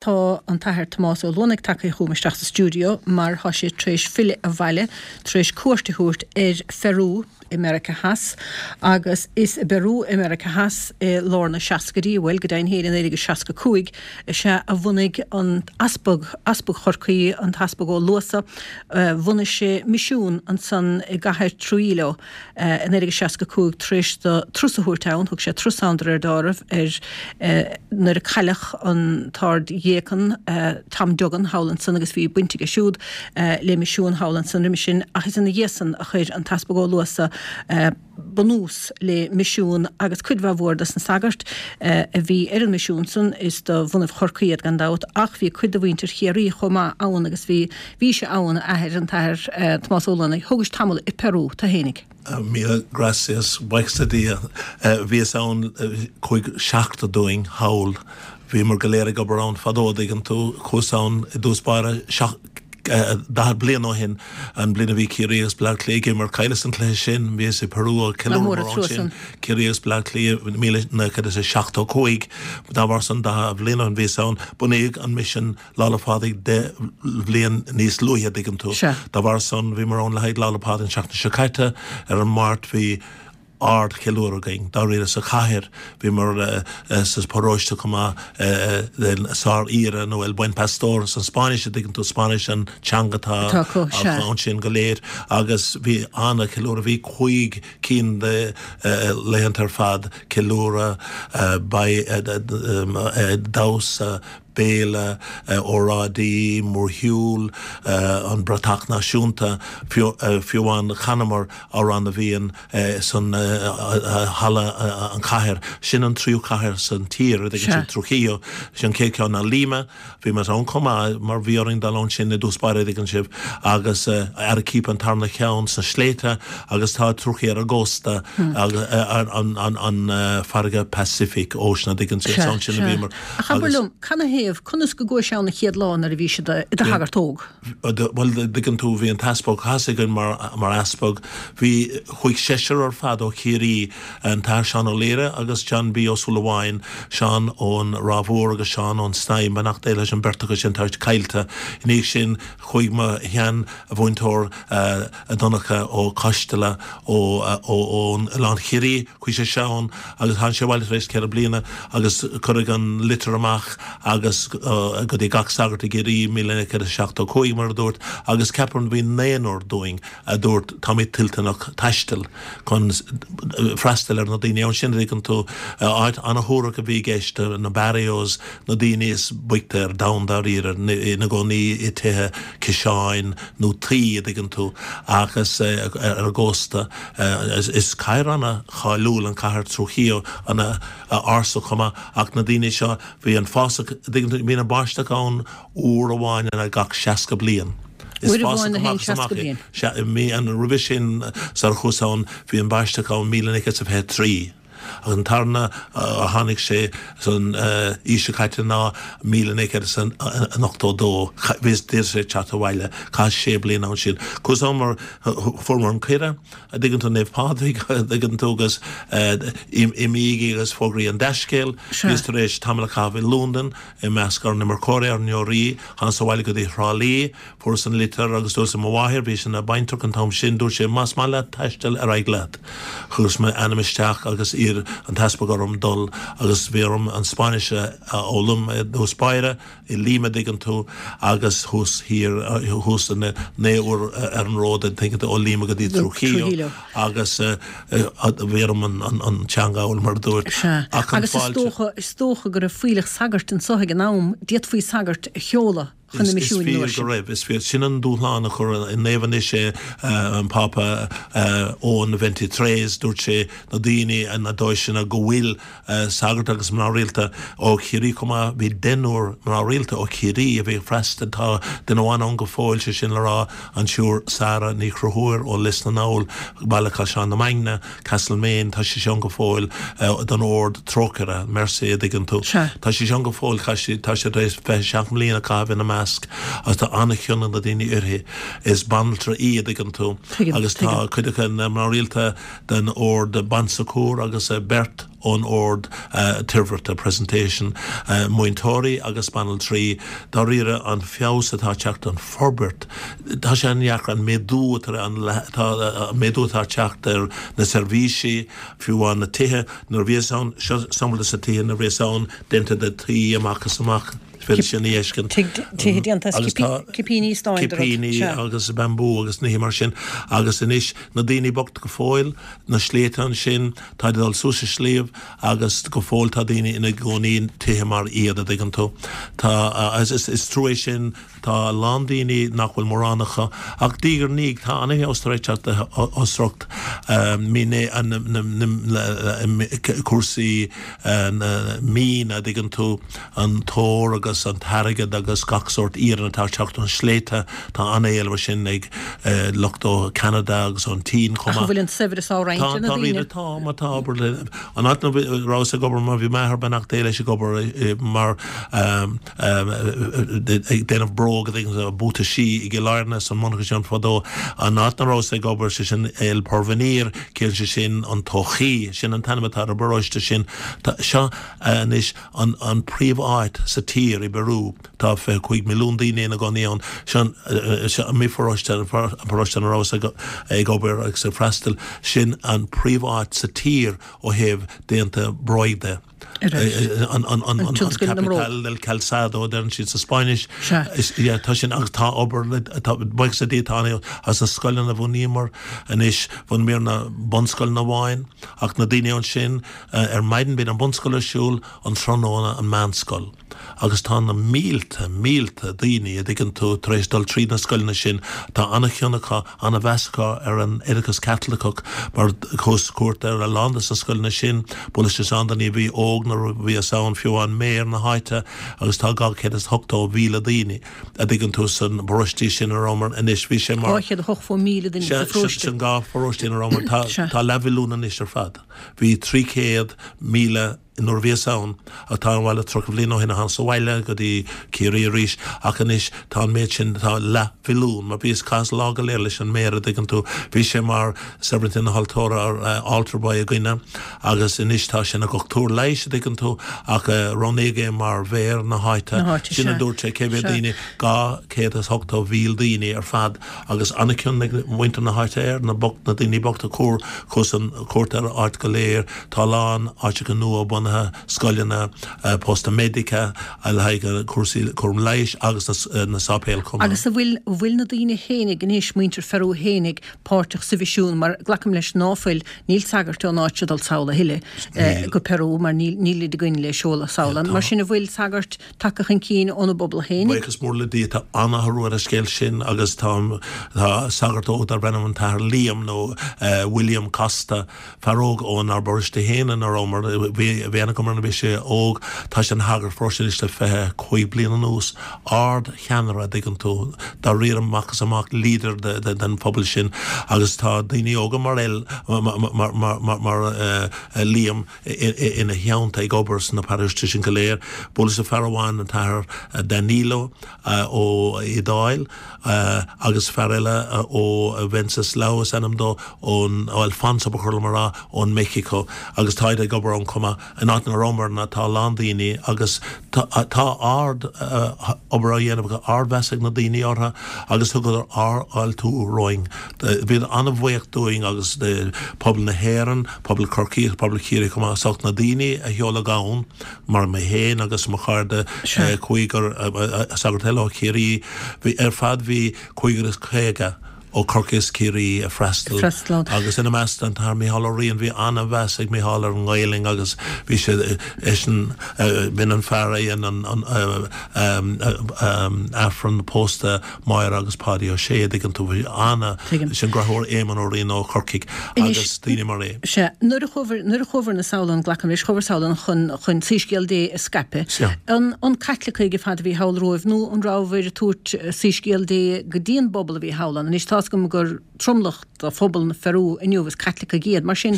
Tá an tAthair Tomás Ó Luanaigh tagtha chugam isteach sa stiúideo mar tá sé tar éis filleadh abhaile tar éis cuairt a thabhairt ar Pheiriú i Meiriceá Theas agus is i bPeiriú i Meiriceá Theas i lár na seascaidí, bhuel, go deimhin féin i 1965 is ea a bhunaigh an tEaspag, Easpag Chorcaí, an tEaspag Ó Luasa, bhunaigh sé misiún ansan i gcathair Trujillo. I 1965 tar éis do turas a thabhairt ann, thug sé turas ann de réir dealraimh ar nuair a cailleadh an tArd-Dhéacan Tom Duggan thall ansan agus bhí baint aige siúd le misiún thall ansan roimis sin ach is ina dhiaidh san a chuir an tEaspag Ó Luasa bunús le misiún agus cuid mhaith mhór dos na sagairt a bhí ar an misiún san is de bhunaibh Chorcaí iad gan dabht ach bhí cuid de mhuintir Chiarraí chomh maith ann agus bhí Bhís ann, a Athair, an tAthair Tomás Ó Luanaigh. Thógais tamall i Peru, tú fhéinig. Míle gracias, buíochas le Dia. Bhíos ann chuaigh seachtar dúinn thall. Bhíomar go léir ag obair ann fadó, a dtuigeann tú. Chuas ann i dtús báire 40 bliain ó shin, an bhliain a bhí Ciarraí agus Bleá Cliath ag imirt. Chailleas an cluiche sin. Bhíos i Peru ag ceiliúradh an sin. Ciarraí agus Bleá Cliath, 1975. Dá bharr san, 40 bliain ó shin bhíos ann. Bunaíodh an misean Lá 'le Pádraig 10 bhliain níos luaithe, a dtuigeann tú. Sea. Dá bharr san, bhíomar ann le haghaidh Lá 'le Pádraig an tseachtain seo caite. Ar an Máirt bhí ardcheiliúradh againn, dáiríre, sa chathair. Bhíomar sa pharóiste chomh maith, den Sár-Aoire nó El Buen Pastor san Spáinnis, a dtuigeann tú, Spáinnis an teanga atá Atá acu, sea. ansin go léir. Agus bhí an-cheiliúradh, bhí cúig cinn de laethanta ar fad, ceiliúradh, damhsa, béile, óráidí, mórshiúl, an bratach náisiúnta, fiú amháin chanamar Amhrán na bhFiann san halla an chathair. Sin an tríú cathair san tír, a dtuigeann sibh, Trujillo. Sin an chéad cheann ná Lima. Bhí muid ann chomh maith mar bhí orainn dul ansin i dtús báire, a dtuigeann sibh, agus Arequipa an tarna cheann sna sléibhte agus tá Trujillo ar an gcósta an farraige Pacific Ocean, a dtuigeann sibh, ansin a bhíomar. Ach abair liom, canathaobh, conas go gcuais ann an chéad lá nuair a bhís i do shagart óg? Bhuel, dtuigeann tú, bhí an t-easpag, thosaigh againn mar, mar easpag, bhí, chuaigh seisear ar fad ó Chiarraí, an tAthair Seán Ó Laoire agus John B. Ó Súilleabháin, Seán ón Ráth Mhór agus Seán ón Snaidhm, beannacht Dé leis an beirt acu sin, tá siad caillte. Ina dhiaidh sin, chuaigh mo shean-mhúinteoir, Donncha Ó Coisteala ó Oileán Chiarraí, chuaigh sé ann agus tháinig sé abhaile tar éis ceithre bliana agus cuireadh an litir amach agus go dtí gach sagart i gCiarraí, 1975 mar a dúrt, agus ceapaim bhí naonúr dúinn a dúirt táimid toilteanach taisteal chun freastal ar na daoine ansin, a dtuigeann tú, áit ana-shuarach a bhí i gceist, na barrios, na daoine is boichte ar domhan dáiríre, ina gcónaí i tithe ciseáin nó tuí, a dtuigeann tú, agus ar an gcósta. Is cathair ana-cháiliúil an cathair Trujillo, ana-ársa chomh maith, ach na daoine seo, bhí an fásach, a dtuigeann tú, bíonn an báisteach ann uair amháin in gach 60 bliain. Is Uair fásach amháin na amach haon is amach 60 é. bliain. Sea, i mí, an, roimhe sin, sar a chuas ann, bhí an báisteach ann 1923. Agus an tarna a tháinig sé san aois seo caite ná 1982. Bhíos d'iarr sé teacht abhaile. Chaitheas sé bliana ansin. Chuas ann mar fuaireamar an cuireadh, a dtuigeann tú, Naomh Pádraig, a dtuigeann tú, agus imígí agus fógraí an dea-scéal. Bhíos tar éis tamall a chaitheamh i Londain i measc ár n-imirceoirí, ár ndeoraí. Thánas abhaile go dtí Thrá Lí. Fuaireas an litir agus dúirt le mo mháthair, bhí sí ina baintreach an t-am sin, dúirt sé, más maith leat taisteal, ar aghaidh leat. Chuireas m'ainm isteach agus d'iarr an t-easpag orm dul agus bhí orm an Spáinnis a fhoghlaim i dtús báire, i Lima, dtuigeann tú, agus thuas thiar, thuas na naoi uair ar an ród, an dtuigeann tú, ó Lima go dtí Trujillo agus bhí orm an teanga a fhoghlaim mar a dúirt. Sea. Ach an Agus is fáilte. dócha, is dócha go raibh fuílleach sagairt anso ag an am, d'fhéadfaí sagairt a sheoladh. chun na Is misiúin fíor an uair go sin. raibh, is fíor. Sin an dúshlán a chuir Naomh anois é an Pápa Eoin Veintitrés, dúirt sé na daoine na deoiseanna go bhfuil sagairt agus mná rialta ó Chiarraí chomh maith, bhí deichniúr mná rialta ó Chiarraí a bhí ag freastal, tá duine amháin ann go fóill, sé sin le rá an tSiúr Sarah Ní Chonchúir ó Lios na nDall, Baile Caisleán na Mainge. Castlemaine, tá sí ann go fóill don Ord Trócaire, Mercy, a dtuigeann tú. Sea. Tá sí ann go fóill, tá sí, tá sé tar éis 27 mbliana a chaitheamh ina measc. measc agus tá an-chion ag na daoine uirthi. Is banaltra í, a dtuigeann tú, agus tá cuid acu ina mná rialta den ord Bon Secours agus beirt ón ord Toirbhirte, Presentation, múinteoirí agus banaltraí. Dáiríre, an feabhas atá ag teacht, an forbairt, tá sé an-dheacair an méadú atá, an méadú atá ag teacht ar na seirbhísí, fiú amháin na tithe, nuair a bhíos ann, seo sampla de na tithe nuair a bhíos ann, déanta de tuí amach is amach. Is féidir sin a fheiscint. Tithe déanta as cipíní stáin. Cipíní agus bambú agus nithe mar sin. Agus anois na daoine bocht go fóill, na sléibhte ansin, táid ag dul suas an sliabh agus go fóill tá daoine ina gcónaí i dtithe mar iad, a dtuigeann tú. Tá, is trua é sin, tá a lán daoine nach bhfuil mórán acu. Ach diaidh ar ndiaidh tá an-fheabhas tar éis teacht osracht, cúrsaí mine, a dtuigeann tú. an t-ór agus an t-airgead agus gach sórt iarann atá ag teacht ón sléibhte, tá an-éileamh ar sin ag lucht ó Cheanada agus ón tSín chomh maith. Ach an bhfuil an saibhreas á roinnt ar na daoine? Tá, má tá obair le, an áit ina rabhas ag obair mar bhí m'athair beannacht Dé leis ag obair mar ag déanamh bróg buataisí i gCill Airne san monarcha sin fadó, an áit ina rabhas ag obair sé sin El Porvenir, ciallaíonn sé sin an todhchaí, sin an t-ainm atá ar an bparóiste sin. Seo anois an an príomh-áit sa tír i bPeru. Tá 25 milliún daoine ina gcónaí ann. Seo an mo pharóiste, an paróiste ina rabhas ag obair agus ag freastal, sin an príomh-áit sa tír ó thaobh déanta bróig de. An capital del calzado a deireann siad sa Spáinnis. Tá sin agus tá obair le, tá buíochas le Dia tá an as na scoileanna a bhunaíomar anois, bhunaíomar na bunscoileanna amháin ach na daoine ansin, Ar maidin bíonn an bunscoil ar siúl, an tráthnóna an meánscoil. Agus tá na mílte, mílte daoine, a dtuigeann tú, tar éis dul tríd na scoileanna sin. Tá an-chion acu, an-mheas acu ar an oideachas Caitliceach mar chuas cuairt ar a lán de na scoileanna sin. Bhuaileas leis an-daoine a bhí óg nuair a bhíos ann, fiú amháin méara na háite agus tá 280,000 daoine, a dtuigeann tú, san bparóistí sin a rabhamar anois. Bhí sé mar. 280,000 duine sa pharóiste. Sin dhá pharóiste ina rabhamar. Tá leathmhilliún anois ar fad. Bhí 300,000 nuair a bhíos ann, ach tá an bhaile 30 bhliain ó shin a thánas abhaile go dtí Ciarraí arís, ach anois tá an méid sin, tá leathmhilliún, mar bhíos chaitheas lá go léir leis an méara, a dtuigeann tú, bhí sé mar seirbhintín na haltóra, altar boy againne, agus anois tá sé ina dhochtúir leighis, a dtuigeann tú, ach roghnaíodh é mar mhéara na háite, sin a dúirt sé, cé mhéad daoine, 280,000 daoine ar fad. Agus an-chion ag muintir na háite air, na bocht, na daoine bochta, chuir, chuas an chuairt ar an áit go léir, tá a lán áiteacha nua bunaithe, scoileanna, posta médica le haghaidh cúrsaí cúram leighis agus na sáipéil chomh maith. Agus an bhfuil, an bhfuil na daoine fhéinig anois, muintir Pheru fhéinig, páirteach sa mhisiún, mar glacaim leis ná fuil, níl sagairt ón áit seo ag dul sall a thuilleadh go Peru mar níl, nílid againn le seoladh sall. Mar sin an bhfuil sagairt tagtha chun cinn óna bpobal féinig. Buíochas mór le Dia, tá an-athrú ar an scéal sin agus tá sagart óg darb ainm an tAthair Liam nó William Costa, fear óg ónár bparóiste féin ina rabhamar, bhí aithne agam air nuair a bhí sé óg, tá sé ina shagart paróiste anois le 25 bliain anuas, ard-cheannaire a dtuigeann tú, dáiríre amach is amach, leader den phobal sin agus tá daoine óga mar Liam, ina theannta ag obair sna paróistí sin go léir. Bhuaileas le fear amháin, an tAthair Danilo ó Iodáil agus fear eile ó Wenceslao is ainm dó, ón, ó Alfonso ba chóir liom a rá, ón Meicsiceo agus táid ag obair ann chomh maith. In áit ina rabhamar ná tá a lán daoine agus tá ard obair á dhéanamh acu, ardmheas ag na daoine orthu agus thugadar ardfháiltiú romhainn. Bhíodar an-bhuíoch dúinn agus de pobal na hÉireann, pobal Chorcaí agus pobal Chiarraí chomh maith as ucht na daoine a sheoladh ann, mar mé féin agus mo chairde, cúigear sagart eile ó Chiarraí, bhí ar fad bhí cúigear is 50 ó Chorcaigh is Ciarraí ag freastal agus ina measc an tAthair Micheál Ó Riain, bhí an-mheas ag Micheál ar an nGaelainn agus bhí sé eisean, b'in an fear a dhein an Aifreann pósta Máire agus Páidí Ó Sé, a dtuigeann tú, bhí ana, sin deartháir Éamonn Ó Riain ó Chorcaigh agus daoine mar é. Sea, nuair a chuabhair, nuair a chuabhair-na sall ann, glacaim leis, chuabhair sall ann chun, chun Soíscéal Dé a scaipeadh. Sea. An, an Caitlicigh ar fad a bhí thall romhaibh nó an rabhabhair ag tabhairt Soíscéal Dé go dtí an bpobal a bhí thall ann? Anois tá. tá's agam gur tromlach de phobal na Pheiriú inniu is Caitlicigh iad. Mar sin,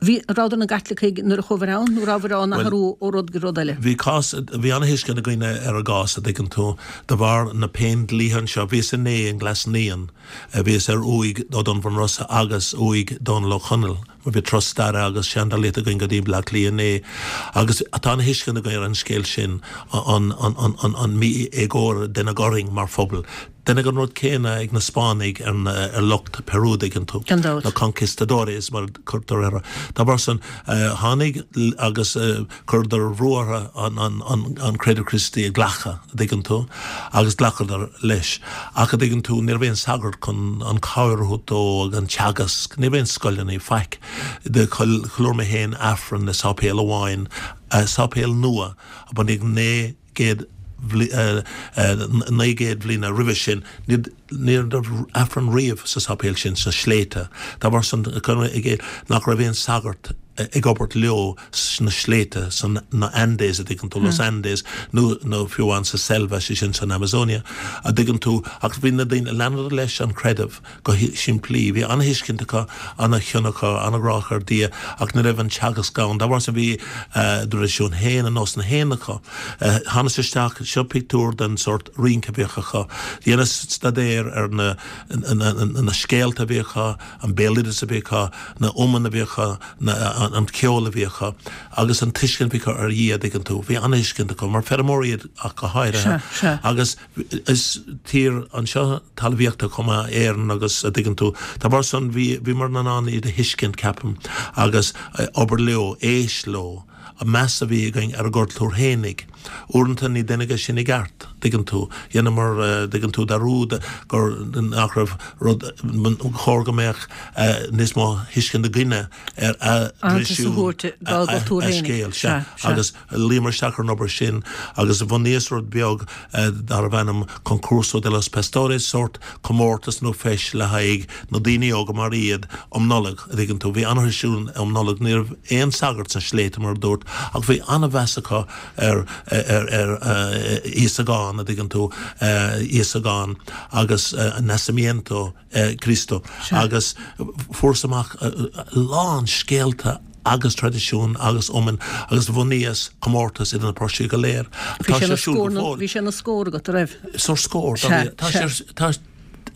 bhí, rabhadar ina gCaitlicigh nuair a chuabhair ann nó rabhadar á n-athrú ó rud go rud eile? Bhí cás, bhí ana-thuiscint againn ar a gcás, a dtuigeann tú, de bharr na péindlíthe anseo. Bhíos inné i nGlas Naíon, bhíos ar uaigh O'Donovan Rossa agus uaigh Dónal Ó Conaill. Bhí turas staire agus seandálaíochta againn go dtí Bleá Cliath inné agus tá ana-thuiscint againn ar an scéal sin, an mí-éagóir a deineadh orainn mar phobal. Deineadh an rud céanna ag na Spáinnigh ar lucht Peru, an dtuigeann tú, Gan dabht. na conquistadores mar a cuirtear orthu. Dá bharr san, tháinig agus chuireadar brú orthu an creideamh Críostaí a ghlacadh, a dtuigeann tú, agus ghlacadar leis. Ach a dtuigeann tú, ní raibh aon sagart chun an cabhair a thabhairt dó agus an teagasc, ní raibh aon scoileanna, faic. Do cheiliúr mé féin Aifreann i sáipéal amháin, sáipéal nua a bunaíodh 900 900 bhliana roimhe sin, ní raibh Aifreann riamh sa sáipéal sin sna sléibhte. Dá bharr san, nach raibh aon sagart ag obair leo sna sléibhte, san na Andes, a dtuigeann tú, Los Andes, nó nó fiú amháin sa Selva, sé sin san Amazonia, a dtuigeann tú. Ach bhí na daoine, leanadar leis an creideamh go simplí. Bhí an-thuiscint acu, an-chion acu, an-ghrá acu ar Dhia, ach ní raibh an teagasc ann. Dá bharr sin bhí a dtraidisiún féin, a nósanna féin acu. Thánas isteach, seo pictiúr den sórt rince a bhíodh acu. Dheineas staidéar ar na na scéalta a bhí acu, an béaloideas a bhí acu, na iomainn a bhí acu, an ceol a bhí acu agus an tuiscint a bhí acu ar Dhia, a dtuigeann tú. Bhí an-thuiscint acu, mar feirmeoirí iad ach go háirithe. Agus is tír anseo talmhaíochta chomh maith, Éirinn agus, a dtuigeann tú, dá bharr san bhí, bhíomar in ann iad a thuiscint, ceapaim, agus obair leo, éist leo, an meas a bhí againn ar a gcultúr fhéinig. Uaireanta ní deineadh é sin i gceart, dtuigeann tú. Dheineamar, dtuigeann tú, dearúd gur, nach raibh rud, chóir go mbeadh níos mó thuiscint againne ar a dtraidisiún, a scéal, sea. Agus Luíomar isteach ar an obair sin agus bhunaíos rud beag darbh ainm Concurso de los Pastores, sórt comórtas nó feis le haghaidh na daoine óga mar iad um Nollaig, a dtuigeann tú. Bhí an-thraidisiún um Nollaig, ní raibh aon sagart sna sléibhte mar a dúrt ach bhí an-mheas acu ar ar Íosagán, a dtuigeann tú, Íosagán agus Nacimiento. Cristo agus fuaireas amach a lán scéalta agus traidisiún agus iomainn agus bhunaíos comórtas idir na paróistí go léir. Tá sé ar siúl go fóill. Bhí sé ina scór agat, a raibh? Sórt scór. Tá sé, tá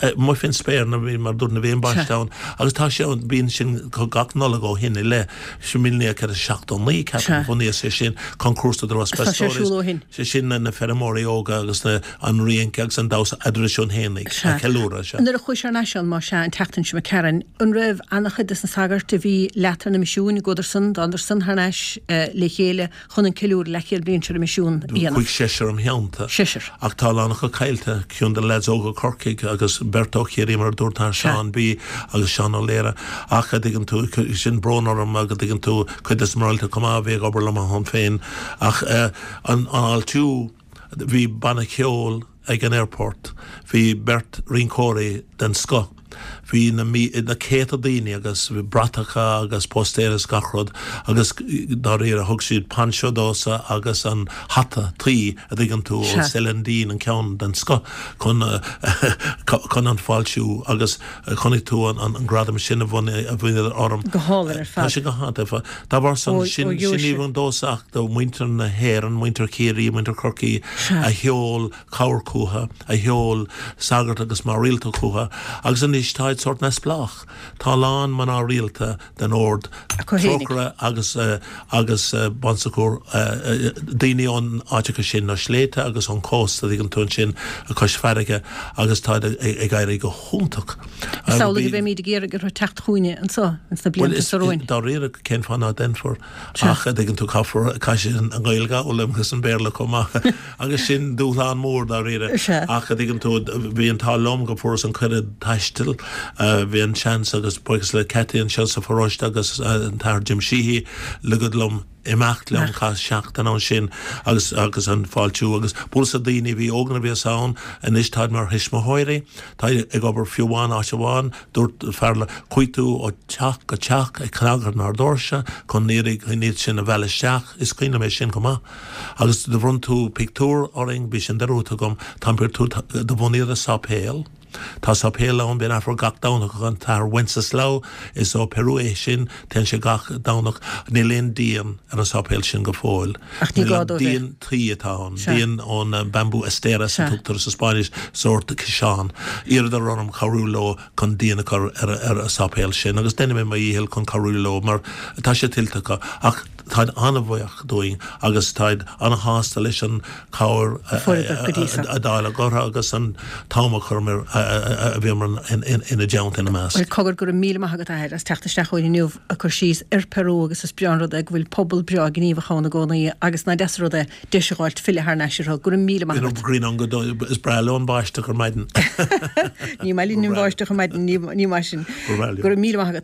amuigh fén spéir nuair a bhí, mar dúirt, nuair a bhí an baiste ann agus tá sé ann, bíonn sin gach Nollaig ó shin i leith, sin 1979 ceapaim, bhunaíos é sin, Concurso de los Pastores. Tá sé ar siúl ó shin. Sé sin na feirmeoirí óga agus na. an rince agus an damhsa a dtraidisiún fhéinig a cheiliúradh. Sea. Nuair a chuais thar n-ais ann, más ea, an tseachtain seo imigh tharainn, an raibh ana-chuid des na sagairt a bhí leat ar na misiúin, an gcuadarsan, dtándarsan thar n-ais le chéile chun an ceiliúradh leathchéad bliain seo ar na misiúin a dhéanamh? Chuaigh seisear im theannta. Seisear. Ach tá a lán acu caillte, ceann de na leaids óga Corcaigh agus beirt ó Chiarraí mar a dúirt an tAthair Seán B agus Seán Ó Laoire. Ach a dtuigeann tú, sin brón orm ach a dtuigeann tú, cuid des na mná rialta chomh maith a bhí ag obair liom ann féin. Ach an fháiltiú. Bhí banna ceoil ag an airport, bhí beirt rinceoirí den scoth, bhí na na céadta daoine agus bhí bratacha agus póstaeir agus gach rud agus dáiríre thug siad poncho domhsa agus an hata tuí a dtuigeann tú ó Celandine an ceann den scoth chun chun an fáiltiú agus chonaic tú an gradam sin a bhronnadar orm. Go hálainn ar fad. Tá sé go hiontach. Dá bharr san, sin ní amháin domhsa ach do mhuintir na hÉireann, muintir Chiarraí, muintir Chorcaí a sheol cabhair chucu, a sheol sagart agus mná rialta chucu agus anois táid sórt neamhspleách. Tá a lán mná rialta den ord Trócaire agus agus Bon Secours, daoine ón áiteacha sin, na sléibhte agus ón cósta, tuigeann tú ansin, cois farraige agus táid ag éirí go hiontach. Is amhlaidh a bheimíd ag iarraidh orthu teacht chugainne anso ins na blianta seo romhainn. Bhuel, dáiríre, cén fáth ná déanfar? Ach, a dtuigeann tú, caithfear, caithfidh siad an Ghaeilge a fhoghlaim agus an Béarla chomh maith. Agus sin dúshlán mór, dáiríre. Ach, a dtuigeann tú, bhí an t-ádh liom go bhfuaireas an cuireadh taistil, bhí an seans agus buíochas le Cathy anseo sa pharóiste agus an tAthair Jim Sheehy, ligeadh liom imeacht liom, chaith seachtain ansin agus agus an fáiltiú agus bualadh le daoine a bhí óg nuair a bhíos ann, anois táid mar thuismitheoirí. Tá ag obair fiú amháin áit amháin, dúirt fear le, chuaigh tú ó teach go teach ag cnagadh ar doirse chun iarraidh chun iad sin a mhealladh isteach, is cuimhin liom é sin chomh maith. Agus do bhronn tú pictiúr orainn, bhí sin dearúdta agam, tá an pictiúr, do bhunaíodar sáipéal. Tá sáipéal ann, bíonn Aifreann gach Domhnach ag an tAthair Wenceslao, is ó Peru é sin, téann sé gach Domhnach, níl aon díon ar an sáipéal sin go fóill. Ach ní gá dó bheith. Díon tuí atá ann, díon ón bambú esteras a tugtar sa Spáinnis, sórt ciseán. Iarradar orm cabhrú leo chun díon a chur ar an sáipéal sin agus déanfaidh mé mo dhícheall chun cabhrú leo mar tá sé tuillte acu. Ach táid an-bhuíoch dúinn agus táid an-shásta leis an chabhair a dáileadh orthu agus an t-am a chuireamar, a bhíomar ina dteannta ina measc. Bhuel, cogar, go raibh míle maith agat, a Athair, as teacht isteach chugainn inniu ag cur síos ar Peru agus is breá an rud é go bhfuil pobal breá gníomhach ann i gcónaí agus nach deas an rud é deis a dh'fháilt filleadh thar n-ais orthu. Go raibh míle maith agat. Grian go Is breá leo an bháisteach ar maidin. Ní maith linn an bháisteach ar maidin, ní maith sin. Go raibh míle maith agat.